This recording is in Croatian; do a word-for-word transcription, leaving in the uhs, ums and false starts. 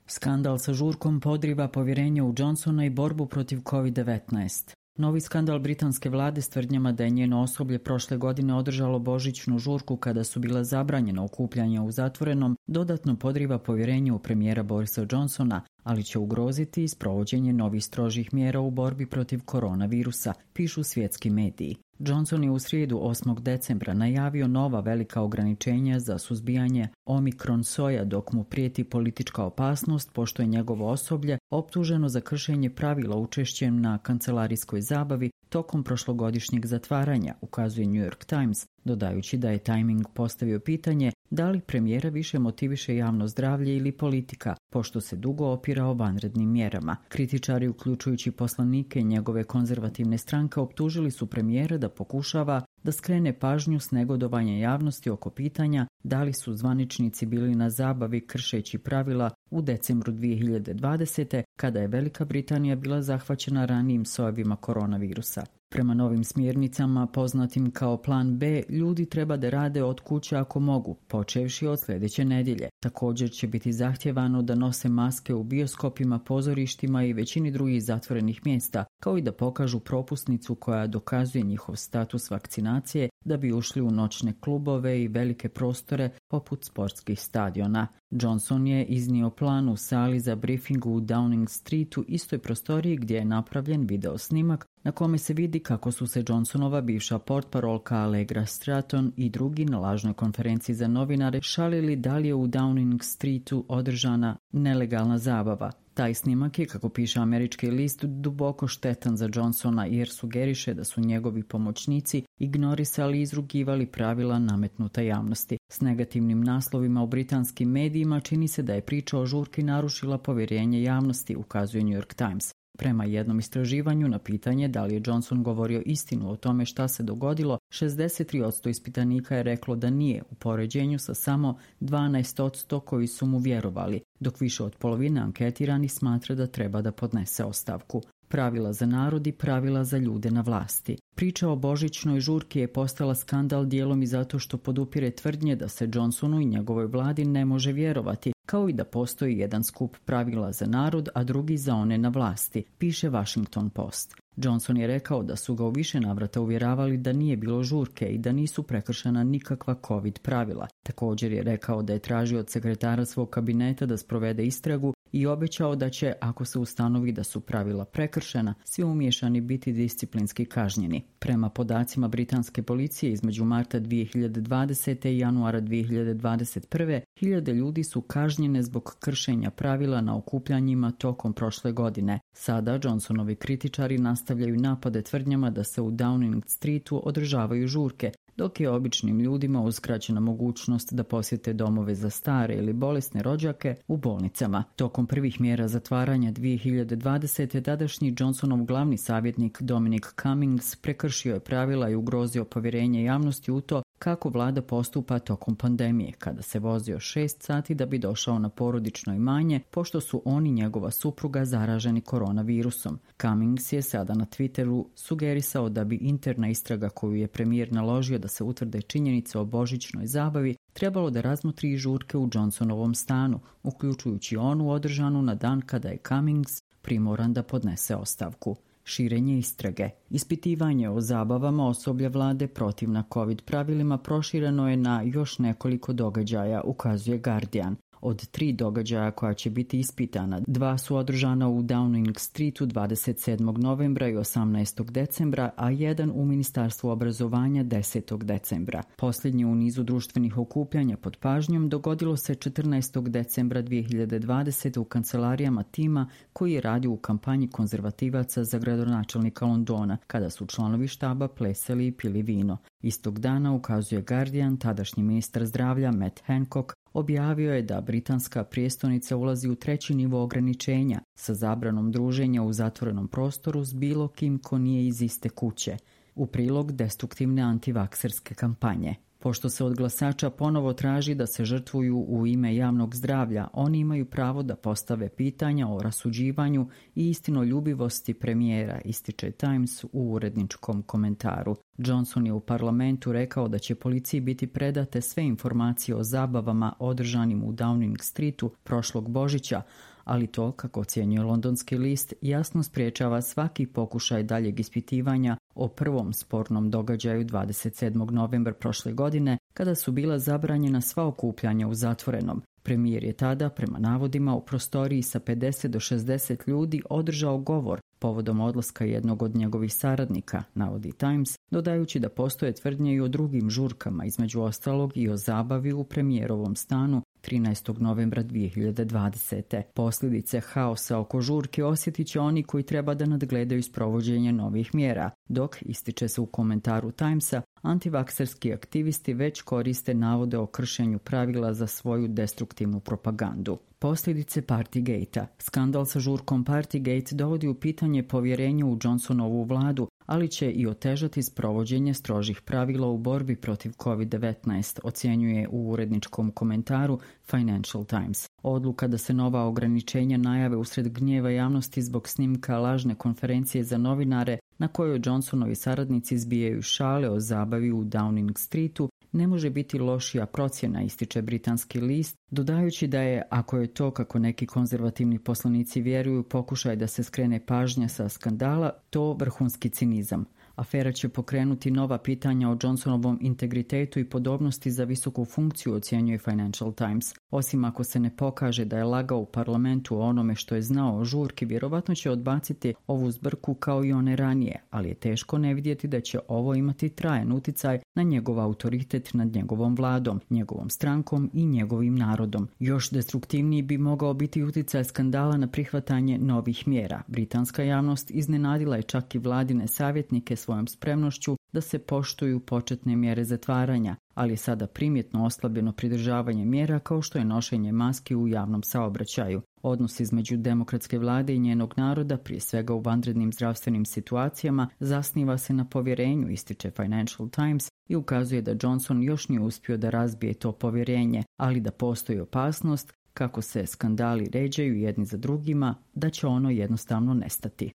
Skandal sa žurkom podriva povjerenje u Johnsona i borbu protiv kovid devetnaest. Novi skandal britanske vlade s tvrdnjama da je njeno osoblje prošle godine održalo božićnu žurku kada su bila zabranjena okupljanja u zatvorenom, dodatno podriva povjerenje u premijera Borisa Johnsona, ali će ugroziti i sprovođenje novih strožih mjera u borbi protiv koronavirusa, pišu svjetski mediji. Johnson je u srijedu osmog decembra najavio nova velika ograničenja za suzbijanje omikron soja dok mu prijeti politička opasnost pošto je njegovo osoblje optuženo za kršenje pravila učešćem na kancelarijskoj zabavi tokom prošlogodišnjeg zatvaranja, ukazuje New York Times, dodajući da je Timing postavio pitanje da li premijera više motiviše javno zdravlje ili politika, pošto se dugo opirao vanrednim mjerama. Kritičari, uključujući poslanike njegove konzervativne stranke, optužili su premijera da pokušava da skrene pažnju s negodovanja javnosti oko pitanja da li su zvaničnici bili na zabavi kršeći pravila u decembru dvije hiljade dvadesete. kada je Velika Britanija bila zahvaćena ranijim sojevima koronavirusa. Prema novim smjernicama, poznatim kao plan B, ljudi treba da rade od kuće ako mogu, počevši od sljedeće nedjelje. Također će biti zahtjevano da nose maske u bioskopima, pozorištima i većini drugih zatvorenih mjesta, kao i da pokažu propusnicu koja dokazuje njihov status vakcinacije da bi ušli u noćne klubove i velike prostore poput sportskih stadiona. Johnson je iznio plan u sali za briefing u Downing Streetu, istoj prostoriji gdje je napravljen video snimak na kome se vidi kako su se Johnsonova bivša portparolka Allegra Stratton i drugi na lažnoj konferenciji za novinare šalili da li je u Downing Streetu održana nelegalna zabava. Taj snimak je, kako piše američki list, duboko štetan za Johnsona jer sugeriše da su njegovi pomoćnici ignorisali i izrugivali pravila nametnuta javnosti. S negativnim naslovima u britanskim medijima čini se da je priča o žurki narušila povjerenje javnosti, ukazuje New York Times. Prema jednom istraživanju na pitanje da li je Johnson govorio istinu o tome šta se dogodilo, šezdeset tri posto ispitanika je reklo da nije, u poređenju sa samo dvanaest posto koji su mu vjerovali, dok više od polovine anketiranih smatra da treba da podnese ostavku. Pravila za narod i pravila za ljude na vlasti. Priča o božićnoj žurki je postala skandal dijelom i zato što podupire tvrdnje da se Johnsonu i njegovoj vladi ne može vjerovati, kao i da postoji jedan skup pravila za narod, a drugi za one na vlasti, piše Washington Post. Johnson je rekao da su ga u više navrata uvjeravali da nije bilo žurke i da nisu prekršena nikakva COVID pravila. Također je rekao da je tražio od sekretara svog kabineta da sprovede istragu i obećao da će, ako se ustanovi da su pravila prekršena, svi umiješani biti disciplinski kažnjeni. Prema podacima britanske policije, između marta dvije hiljade dvadesete i januara dvije hiljade dvadeset prve. hiljade ljudi su kažnjene zbog kršenja pravila na okupljanjima tokom prošle godine. Sada Johnsonovi kritičari nastavljaju napade tvrdnjama da se u Downing Streetu održavaju žurke, dok je običnim ljudima uskraćena mogućnost da posjete domove za stare ili bolesne rođake u bolnicama. Tokom prvih mjera zatvaranja dvije hiljade dvadesete. tadašnji Johnsonov glavni savjetnik Dominic Cummings prekršio je pravila i ugrozio povjerenje javnosti u to kako vlada postupa tokom pandemije, kada se vozio šest sati da bi došao na porodično imanje, pošto su on i njegova supruga zaraženi koronavirusom. Cummings je sada na Twitteru sugerisao da bi interna istraga koju je premijer naložio da se utvrde činjenice o božićnoj zabavi trebalo da razmotri i žurke u Johnsonovom stanu, uključujući onu održanu na dan kada je Cummings primoran da podnese ostavku. Širenje istrage. Ispitivanje o zabavama osoblja vlade protivna COVID pravilima prošireno je na još nekoliko događaja, ukazuje Guardian. Od tri događaja koja će biti ispitana, dva su održana u Downing Streetu dvadeset sedmog novembra i osamnaestog decembra, a jedan u Ministarstvu obrazovanja desetog decembra. Posljednje u nizu društvenih okupljanja pod pažnjom dogodilo se četrnaestog decembra dvije hiljade dvadesete. u kancelarijama tima koji je radio u kampanji konzervativaca za gradonačelnika Londona, kada su članovi štaba plesali i pili vino. Istog dana, ukazuje Guardian, tadašnji ministar zdravlja Matt Hancock objavio je da britanska prijestolnica ulazi u treći nivo ograničenja sa zabranom druženja u zatvorenom prostoru s bilo kim ko nije iz iste kuće, u prilog destruktivne antivakserske kampanje. Pošto se od glasača ponovo traži da se žrtvuju u ime javnog zdravlja, oni imaju pravo da postave pitanja o rasuđivanju i istinoljubivosti premijera, ističe Times u uredničkom komentaru. Johnson je u parlamentu rekao da će policiji biti predate sve informacije o zabavama održanim u Downing Streetu prošlog Božića, ali to, kako ocjenjuje londonski list, jasno spriječava svaki pokušaj daljeg ispitivanja o prvom spornom događaju dvadeset sedmog novembra prošle godine, kada su bila zabranjena sva okupljanja u zatvorenom. Premijer je tada, prema navodima, u prostoriji sa pedeset do šezdeset ljudi održao govor povodom odlaska jednog od njegovih saradnika, navodi Times, dodajući da postoje tvrdnje i o drugim žurkama, između ostalog i o zabavi u premijerovom stanu trinaestog novembra dvije hiljade dvadesete. Posljedice haosa oko žurke osjetit će oni koji treba da nadgledaju sprovođenje novih mjera, dok, ističe se u komentaru Timesa, antivakserski aktivisti već koriste navode o kršenju pravila za svoju destruktivnu propagandu. Posljedice Partygate-a. Skandal sa žurkom Partygate dovodi u pitanje povjerenje u Johnsonovu vladu, ali će i otežati sprovođenje strožih pravila u borbi protiv kovid devetnaest, ocjenjuje u uredničkom komentaru Financial Times. Odluka da se nova ograničenja najave usred gnjeva javnosti zbog snimka lažne konferencije za novinare na kojoj Johnsonovi saradnici zbijaju šale o zabavi u Downing Streetu ne može biti lošija procjena, ističe britanski list, dodajući da je, ako je to kako neki konzervativni poslanici vjeruju, pokušaj da se skrene pažnja sa skandala, to vrhunski cinizam. Afera će pokrenuti nova pitanja o Johnsonovom integritetu i podobnosti za visoku funkciju, ocjenjuje Financial Times. Osim ako se ne pokaže da je lagao u parlamentu o onome što je znao o žurki, vjerovatno će odbaciti ovu zbrku kao i one ranije, ali je teško ne vidjeti da će ovo imati trajan uticaj na njegov autoritet nad njegovom vladom, njegovom strankom i njegovim narodom. Još destruktivniji bi mogao biti uticaj skandala na prihvatanje novih mjera. Britanska javnost iznenadila je čak i vladine savjetnike svojom spremnošću da se poštuju početne mjere zatvaranja, ali je sada primjetno oslabljeno pridržavanje mjera kao što je nošenje maski u javnom saobraćaju. Odnos između demokratske vlade i njenog naroda, prije svega u vanrednim zdravstvenim situacijama, zasniva se na povjerenju, ističe Financial Times, i ukazuje da Johnson još nije uspio da razbije to povjerenje, ali da postoji opasnost, kako se skandali ređaju jedni za drugima, da će ono jednostavno nestati.